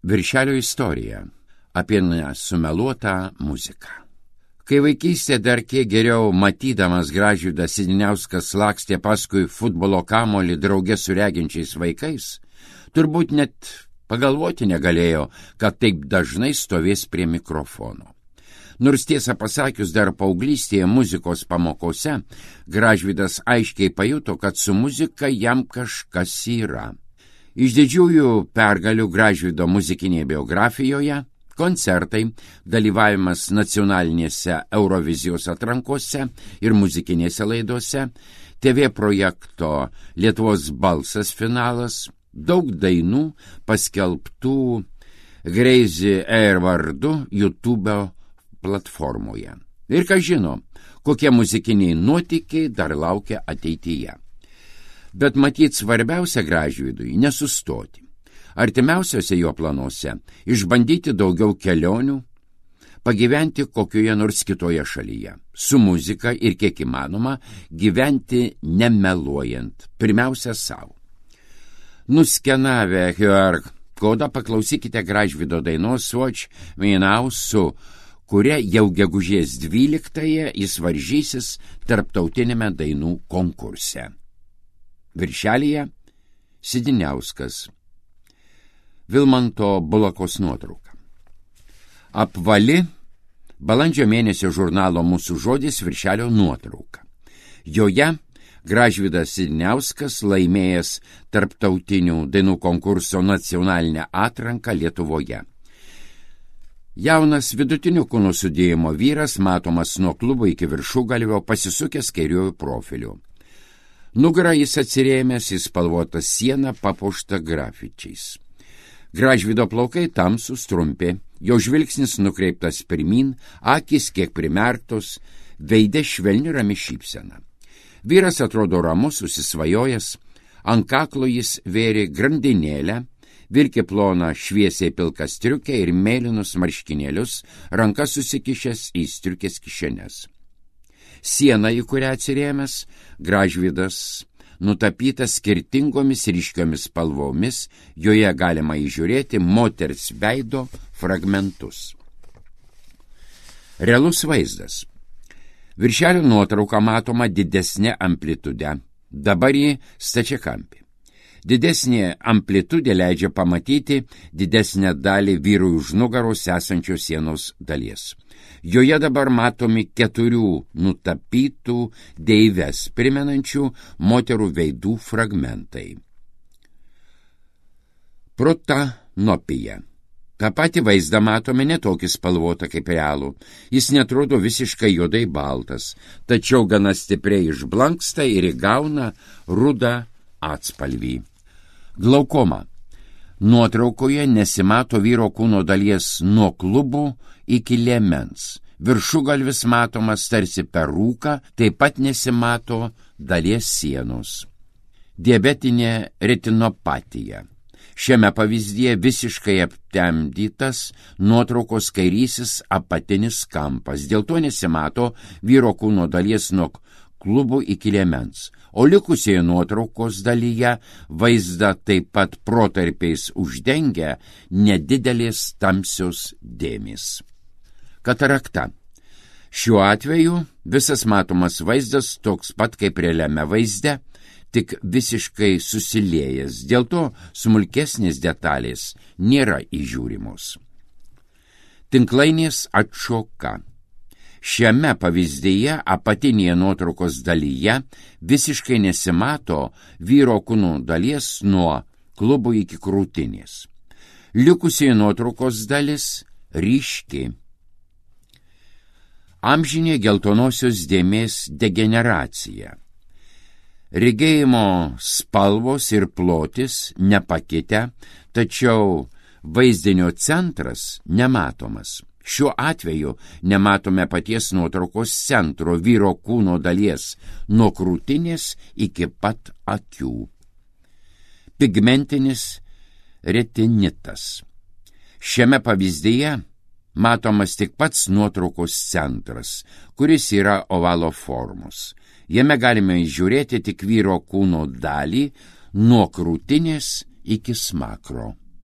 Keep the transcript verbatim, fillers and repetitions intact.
Viršelio istorija apie nesumeluotą muziką. Kai vaikystė dar kiek geriau matydamas Gražvydas Sidiniauskas lakstė paskui futbolo kamolį drauge su reginčiais vaikais, turbūt net pagalvoti negalėjo, kad taip dažnai stovės prie mikrofono. Nors tiesą pasakius, dar paauglystėje muzikos pamokose Gražvydas aiškiai pajuto, kad su muzika jam kažkas yra. Iš didžiųjų pergalių Gražvydo muzikinėje biografijoje – koncertai, dalyvavimas nacionalinėse Eurovizijos atrankose ir muzikinėse laidose, T V projekto Lietuvos balsas finalas, daug dainų paskelbtų Crazy Air vardu YouTube platformoje. Ir ką žino, kokie muzikiniai nuotykiai dar laukia ateityje. Bet matyt svarbiausia Gražvydui nesustoti. Artimiausiose jo planuose išbandyti daugiau kelionių, pagyventi kokioje nors kitoje šalyje, su muzika ir kiek įmanoma gyventi nemeluojant, pirmiausia savo. Nuskenavę Q R kodą paklausykite Gražvydo dainos Watch Me Now, su kuria jau gegužės dvyliktąją jis varžysis tarptautinėme dainų konkurse. Viršelyje Sidiniauskas. Vilmanto Bulakos nuotrauka. Apvali balandžio mėnesio žurnalo Mūsų žodis viršelio nuotrauka. Joje Gražvydas Sidiniauskas laimėjęs tarptautinių dainų konkurso nacionalinę atranką Lietuvoje. Jaunas vidutinių kūno sudėjimo vyras matomas nuo klubo iki viršugalvio pasisukęs kairiuoju profiliu. Nugarą jis atsirėmęs į spalvotą sieną papuoštą grafičiais. Gražvydo plaukai tamsūs trumpi, jo žvilgsnis nukreiptas pirmyn, akys kiek primerktos, veide švelni rami šypsena. Vyras atrodo ramus, susisvajojęs, ant kaklo jis vėrė grandinėlę, vilkė ploną šviesiai pilką striukę ir mėlynus marškinėlius, rankas susikišęs į striukės kišenes. Siena, į kurią atsirėmęs, Gražvydas nutapytas skirtingomis ryškiomis spalvomis, joje galima įžiūrėti moters veido fragmentus. Realus vaizdas. Viršelio nuotrauka matoma didesnė amplitude, dabar ji stačiakampė. Didesnė amplitudė leidžia pamatyti didesnę dalį vyrui už nugaros esančios sienos dalies. Joje dabar matomi keturių nutapytų deives primenančių moterų veidų fragmentai. Protanopija. Ta pati vaizdą matome netokį spalvotą kaip realų. Jis netrodo visiškai juodai baltas, tačiau gana stipriai išblanksta ir įgauna rudą atspalvį. Glaukoma. Nuotraukoje nesimato vyro kūno dalies nuo klubų iki liemens. Viršugalvis matomas tarsi per rūką, taip pat nesimato dalies sienos. Diabetinė retinopatija. Šiame pavyzdyje visiškai aptemdytas nuotraukos kairysis apatinis kampas. Dėl to nesimato vyro kūno dalies nuo klubų iki liemens. O likusioje nuotraukos dalyje vaizdą taip pat protarpiais uždengia nedidelės tamsios dėmės. Katarakta. Šiuo atveju visas matomas vaizdas toks pat kaip realiame vaizde, tik visiškai susiliejęs, dėl to smulkesnės detalės nėra įžiūrimos. Tinklainės atšoka. Šiame pavyzdyje apatinėje nuotraukos dalyje visiškai nesimato vyro kūno dalies nuo klubų iki krūtinės. Likusioje nuotraukos dalis ryški. Amžinė geltonosios dėmės degeneracija. Regėjimo spalvos ir plotis nepakitę, tačiau vaizdinio centras nematomas. Šiuo atveju nematome paties nuotraukos centro vyro kūno dalies nuo krūtinės iki pat akių. Pigmentinis retinitas. Šiame pavyzdyje matomas tik pats nuotraukos centras, kuris yra ovalo formos. Jame galime įžiūrėti tik vyro kūno dalį nuo krūtinės iki smakro.